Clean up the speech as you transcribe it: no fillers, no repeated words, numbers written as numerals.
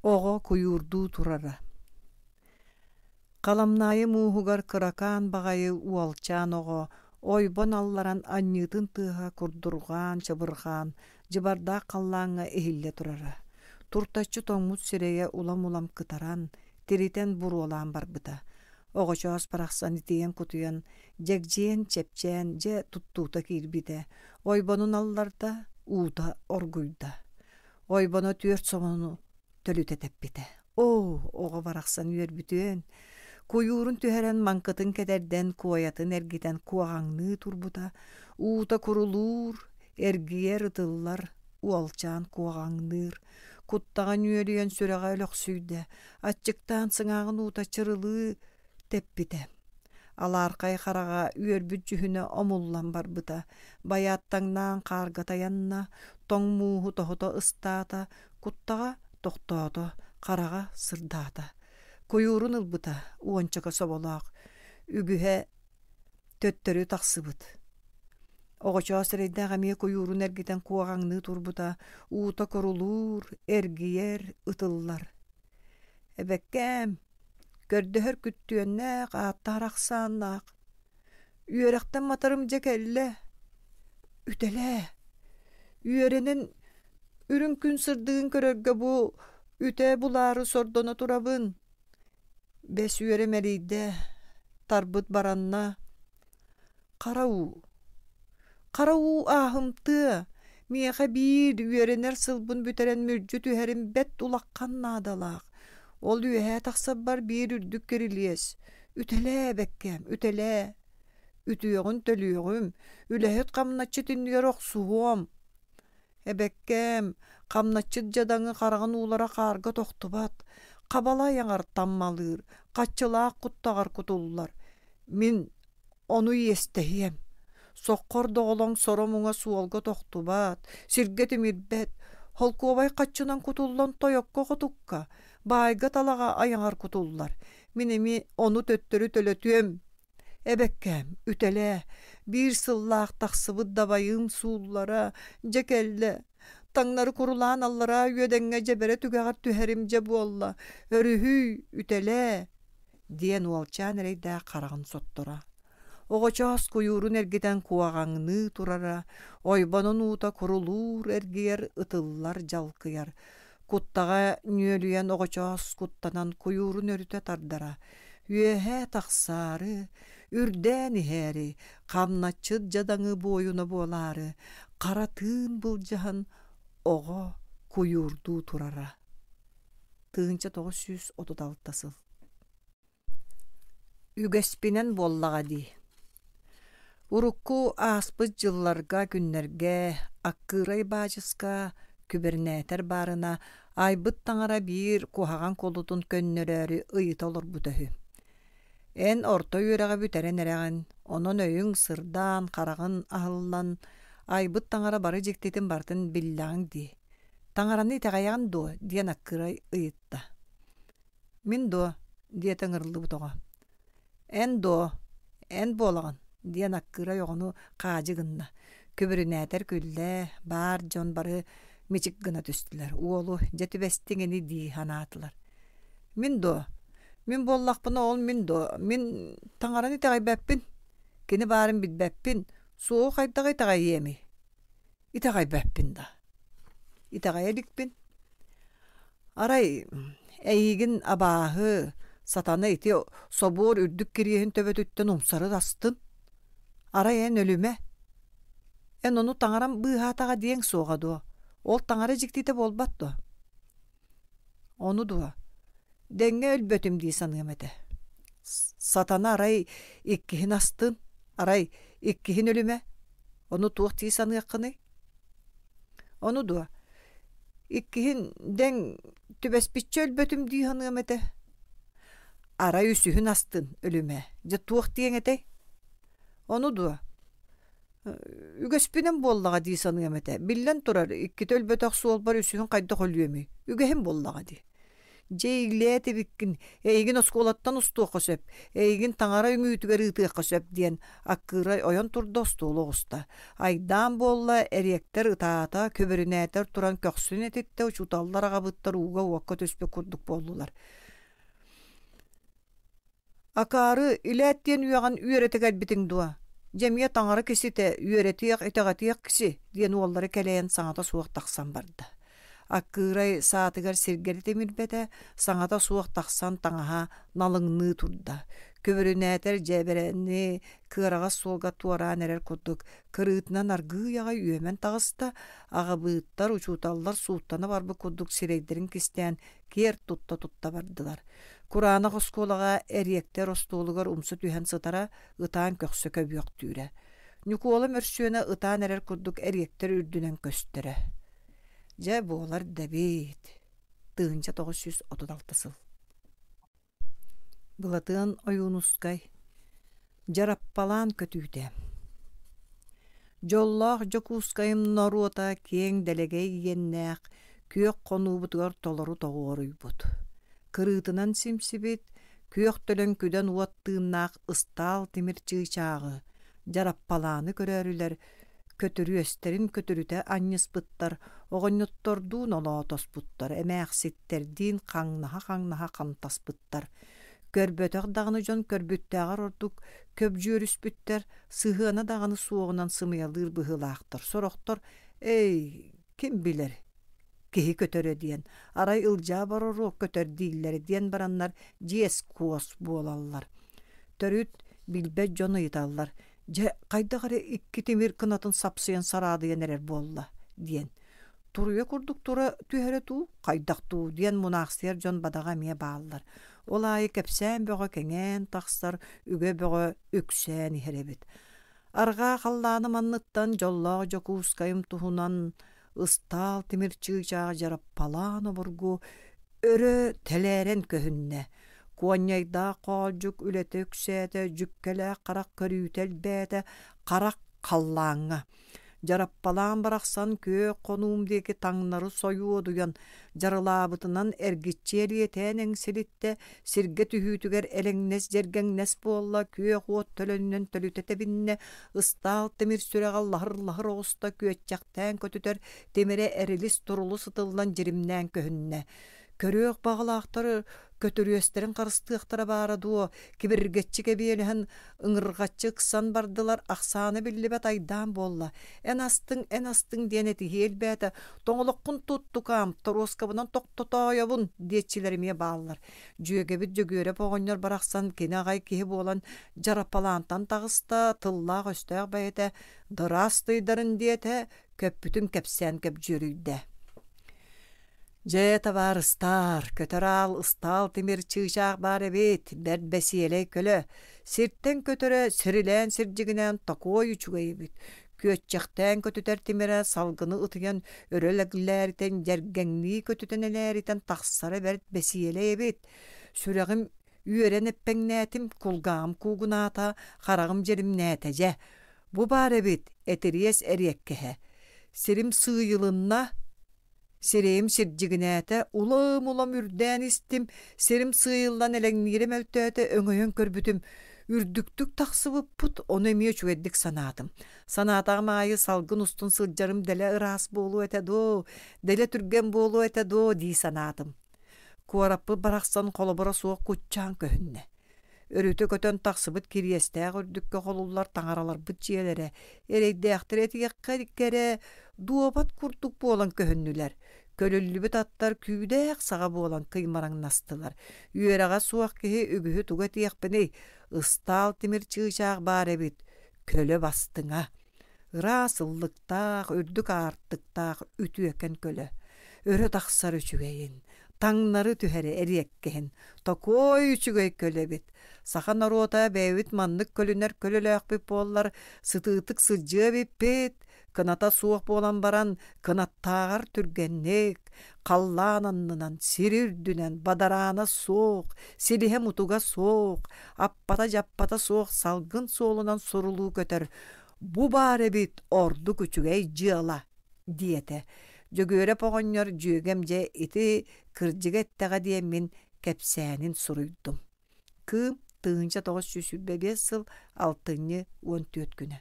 Оҕо куйуурдуу турара. Халамнаайы мууһугар кыракаан баҕайы уолчаан оҕо ойбон алларан анньыытын тыаһа курдурҕаан, чабырҕаан, дьыбардаах халлааҥҥа иһиллэ турара. Туртаччы тоҥмут сирэйэ улам-улам кытаран, тиритэн буруолаан барбыта. Оҕочоос барахсан итийэн-кутуйан, дьэгдьийэн, чэпчээн дьэ туттуута киирбитэ. Ойбонун алларда, уута оргуйда. Ойбоно түөрт сомону төлүтэ тэппитэ. Оо, оҕо барахсан үөрбүтүөн! Куйуурун түһэрэн маҥкытын кэтэрдэн, куойатын эргитэн куоҕаҥныы турбута, уута курулуур, эргийэр ытыллар, уолчаан куоҕаҥныыр. Куттаҕа нүөлүйэн сүрэҕэ өлөхсүйдэ, аччыктаан сыҥааҕын уута чырылыы тэппитэ. Алаархай хараҕа үөрбүт дьүһүнэ омуллан барбыта, байааттаҥнаан хаарга тайанна, тоҥ мууһу тоһута ыстаата, куттаҕа тохтоото, хараҕа сырдаата. Куйуурун ылбыта уончака соболоох, үгүһэ төттөрү тахсыбыт. Оҕочоос эрэйдээх эмиэ куйуурун эргитэн куоҕаҥныы турбута, уута курулуур, эргийэр, ытыллар. Эбэккээм, көрдөһөр күттүөннээх, ааттаһар ахсааннаах. Үөрэхтэн матарым дьэ кэллэ. Үтэлээ. Үөрэнэн үрүҥ күн сырдыгын көрөргө бу үтэ булаары сордоно турабын. Бэс үөрэ мэлийдэ, тарбыт баранна. Хара уу. Хара уу ааһымтыа, миэхэ биир үөрэнэр сылбын бүтэрэн мүлдьү түһэрим бэрт улахан наадалаах. Ол үөһээ тахсарбар биир үрдүк кирилиэс. Үтэлээ, бэккээм, үтэлээ. Үтүөҕүн төлүөҕүм, үлэһит хамначчыт иннигэр охсуһуом. Эбэккээм, хамначчыт дьадаҥы хараҕын уулара хаарга тохтубат, хабала айаҕар таммалыыр, хаччылаах куттаҕар кутуллар. Мин ону иэстэһиэм. Соххор доҕолоҥ соро-муҥа суолга тохтубат, сиргэ тимирбэт, холкуобай хаччынан кутуллан тойокко-хотукка, баайга-талаҕа айаҕар кутуллар. Мин эмиэ ону төттөрү төлөтүөм. Эбэккээм, үтэлээ, биир сыллаах тахсыбыт дабайыым сууллара, дьэ кэллэ. Таҥнары курулаан аллараа үөдэҥҥэ дьэбэрэ түгэҕэр түһэрим дьэ буолла, өрүһүй, үтэлээ диэн уолчаан эрэйдээх хараҕын сотторо. Оҕочоос куйуурун эргитэн куоҕаҥныы турара, ойбонун уута курулуур эргийэр, ытыллар дьалкыйар. Куттаҕа нүөлүйэн оҕочоос куттанан куйуурун өрүтэ тардара. Үөһэ тахсаары, үрдээн иһээри, хамначчыт дьадаҥы буойуна буолаары, хара тыын былдьаһан оҕо куйуурдуу турара. 1936 сыл Үгэспинэн буоллаҕа дии. Урукку ааспыт дьылларга, күннэргэ Аккыырай баачыска күбэрнээтэр баарына айбыт таҥара биир куһаҕан кулутун көннөрөөрү ыйыта олорбута үһү. Эн орто үөрэҕи бүтэрэн эрэҕин, онон өйүҥ сырдаан, хараҕын аһыллан, айбыт таҥара бары дьиктитин барытын биллэҕиҥ дии. Таҥараны итэҕэйэҕин дуо? диэн Аккырай ыйытта. Мин дуо? диэтэ ыҥырыллыбыт оҕо. Эн дуо? Эн буолаҕын, диэн Аккырай оҕону хаадьы гынна. Күбүрүнээтэр күллэ, баар дьон бары мичик гына түстүлэр. Уолу дьэ түбэстиҥ ини дии санаатылар. Мин дуо? Мин буоллахпына ол мин дуо? Мин таҥараны итэҕэйбэппин. Кини баарын билбэппин. Суоҕу хайдах итэҕэйиэмий? Итэҕэйбэппин да. Итэҕэйэ иликпин. Арай эйигин абааһы, сатана ити собуор үрдүк кириэһин төбөтүттэн умсары астын. Арай эн өлүмэ. Эн ону таҥарам быыһаатаҕа диэҥ суоҕа дуо? Ол таҥара дьиктитэ буолбат дуо? Ону дуо? Дэҥҥэ өлбөтүм дии саныам этэ. Сатана арай иккиһин астын, арай иккиһин өлүмэ. Ону туох дии саныаххыный? Ону дуо? Иккиһин дэҥ түбэспиччэ өлбөтүм дии саныам этэ. Арай үсүһүн астын өлүмэ. Дьэ туох диэҥ этэй? Ону дуо? Үгэспинэн буоллаҕа дии саныам этэ. Биллэн турар, иккитэ өлбөтөх суолбар үсүһүн хайдах өлүөмүй? Үгэһим буоллаҕа дии. Дьэ иилээт эбиккин, эйигин оскуолаттан устуохха сөп, эйигин таҥара үҥүүтүгэр ыытыахха сөп диэн аккыырай ойон турда остуолу оҕуста. Айдаан буолла, эриэктэр ытаата, күбүрүнээтэр туран көхсүн этиттэ, учууталлар аҕабыттар ууга-уокка түспүт курдук буоллулар. Акаары, илээт диэн үөҕэн үөрэтэ кэлбитиҥ дуо? Дьэ эмиэ таҥара киситэ, үөрэтиэх, итэҕэтиэх киси, диэн уоллара кэлэйэн саҥата суох тахсан барда. Аккыырай саатыгар сиргэри тимирбэтэ, саҥата суох тахсан таҥаһа налыҥныы турда. Күбүрүнээтэр дьээбэрэни кыараҕас суолга туораан эрэр курдук кырыытынан аргыый аҕай үөмэн таҕыста, аҕабыыттар, учууталлар сууттана барбыт курдук сирэйдэрин кистээн киэр тутта-тутта бардылар. Кураанах оскуолаҕа эриэктэр остуолугар умса түһэн сытара, ытаан көхсө көбүөхтүүрэ. Ньукуола мөрсүөнэ ытаан эрэр курдук эриэктэр үрдүнэн көстөрө. Дьэ, буолар да эбит. 1936 сыл. Былатыан Ойуунускай Дьараппалаан көтүүтэ Дьоллоох Дьокуускайым норуота киэҥ дэлэгэй иэннээх күөх хонуубутугар толору тоҕуоруйбут. Кырыытынан симсибит, күөх төлөн күдэн уот тыыннаах ыстаал тимир чыычааҕы, дьараппалааны көрөөрүлэр көтүрүөстэрин көтүрүтэ анньыспыттар, оҕонньоттордуун олоотоспуттар, эмээхситтэрдиин хаҥнаһа-хаҥнаһа хамтаспыттар. Көрбөтөх даҕаны дьон көрбүттээҕэр ордук көбдьүөрүспүттэр, сыһыана даҕаны суоҕунан сымыйалыыр быһыылаахтар. Сорохтор «Эй, ким билэр, киһи көтөрө» диэн, арай Ылдьаа Бороруок көтөр дииллэрэ диэн бараннар дьиэс-куос буолаллар. Төрүт билбэт дьон ыйыталлар: «Дьэ, хайдах эрэ икки тимир кынатын сапсыйан сараадыйан эрэр буолла» диэн. Туруйа курдук тура түһэрэ дуу, хайдах дуу диэн мунаахсыйар дьон бадаҕа эмиэ бааллар. Ол аайы кэпсээн бөҕө кэҥээн тахсар, үгэ бөҕө үксээн иһэр эбит. Арҕаа халлааным анныттан дьоллоох Дьокуускайым туһунан ыстаал тимир чыычаах дьараппалаан обургу өрө тэлээрэн көһүннэ. Куонньайдаах хоолдьук үлэтэ үксээтэ, дьүккэлээх харах көрүүтэ элбээтэ, харах халлааҥҥа. Дьараппалаан барахсан күөх хонуум диэки таҥнары сойуодуйан, дьарылаабытынан эргиччи элиэтээн эҥсилиттэ, сиргэ түһүүтүгэр элэҥнэс-дьэргэҥнэс буолла, күөх уот төлөнүнэн төлүтэ тэбиннэ, ыстаал тимир сүрэҕэ лаһыр-лаһыр оҕуста күөччэхтээн көтүтэр тимирэ эрилис-турулус ытыллан дьиримнээн көһүннэ. Көрүөх баҕалаахтар көтүрүөстэрин харыстыахтара баара дуо, кибиргэччи кэбиэлэһэн, ыҥырҕаччы ыксан бардылар, ахсаана биллибэт айдаан буолла. Эн астыҥ, эн астыҥ диэн этиһии элбээтэ, тоҥолоххун тут, тукаам, торуоскабынан тохтотоойобун диэччилэр эмиэ бааллар. Дьүөгэбит Дьөгүөрэп оҕонньор барахсан кини аҕай киһи буолан дьараппалаантан таҕыста, тыллаах-өстөөх бэйэтэ «Дыраастыйдарын» диэтэ, көппүтүн кэпсээн көбдьүөрүйдэ. Дьэ, табаарыстаар, көтөр аал ыстаал тимир чыычаах баар эбит, бэрт бэсиэлэй көлө. Сиртэн көтөрө сирилээн сирдьигинээн токуой үчүгэй эбит. Күөччэхтээн көтүтэр тимирэ салгыны ытыйан өрө лэглээритэн, дьэргэҥнии көтүтэн элээритэн тахсара бэрт бэсиэлэй эбит. Сүрэҕим үөрэн эппэҥнээтим, кулгааҕым куугунаата, хараҕым дьиримнээтэ дьэ. Бу баар эбит, этириэс эриэккэһэ. Сирим сыыйылынна, Сирэйим сирдьигинээтэ, улам-улам үрдээн истим, сирим сыыйыллан элэҥниирэ мөлтөөтө, өҥөйөн көрбүтүм, үрдүктүк тахсыбыппыт, ону эмиэ үчүгэйдик санаатым. Санаатаҕым аайы салгын устун сылдьарым дэлэ ыраас буолуо этэ дуо, дэлэ түргэн буолуо этэ дуо дии санаатым. Куораппыт барахсан холобура суох куччаан көһүннэ. Өрүтэ көтөн тахсыбыт кириэстээх үрдүккэ холуллар таҥараларбыт дьиэлэрэ, эрэйдээхтэр этиэххэ кэрэ, дуобат курдук буолан көһүннүлэр. Көлүллүбүт аттар күүдээх саҕа буолан кыймараҥнастылар. Үөрэҕэ суох киһи үгүһү тугу этиэхпиний, ыстаал тимир чыычаах баар эбит, көлө бастыҥа. Ыраас ыллыктаах, үрдүк аартыктаах үтүөкэн көлө. Өрө тахсар үчүгэйин, таҥнары түһэрэ эриэккэһин, токуой үчүгэй көлө эбит. Саха норуота бэйэбит маннык көлүнэр көлөлөөхпүт буоллар, сытыытык сылдьыа эбиппит, кыната суох буолан баран, кынаттааҕар түргэнник, халлаан аннынан, сир үрдүнэн, бадараана суох, силиһэ-мутуга суох, аппата-дьаппата суох салгын суолунан сурулуу көтөр, бу баар эбит ордук үчүгэй дьыала, диэтэ. Дьөгүөрэп оҕонньор дьүөгэм дьэ ити кырдьыга эттэҕэ диэммин кэпсээнин суруйдум. Кыым 1925 сыл алтынньы 14 күнэ.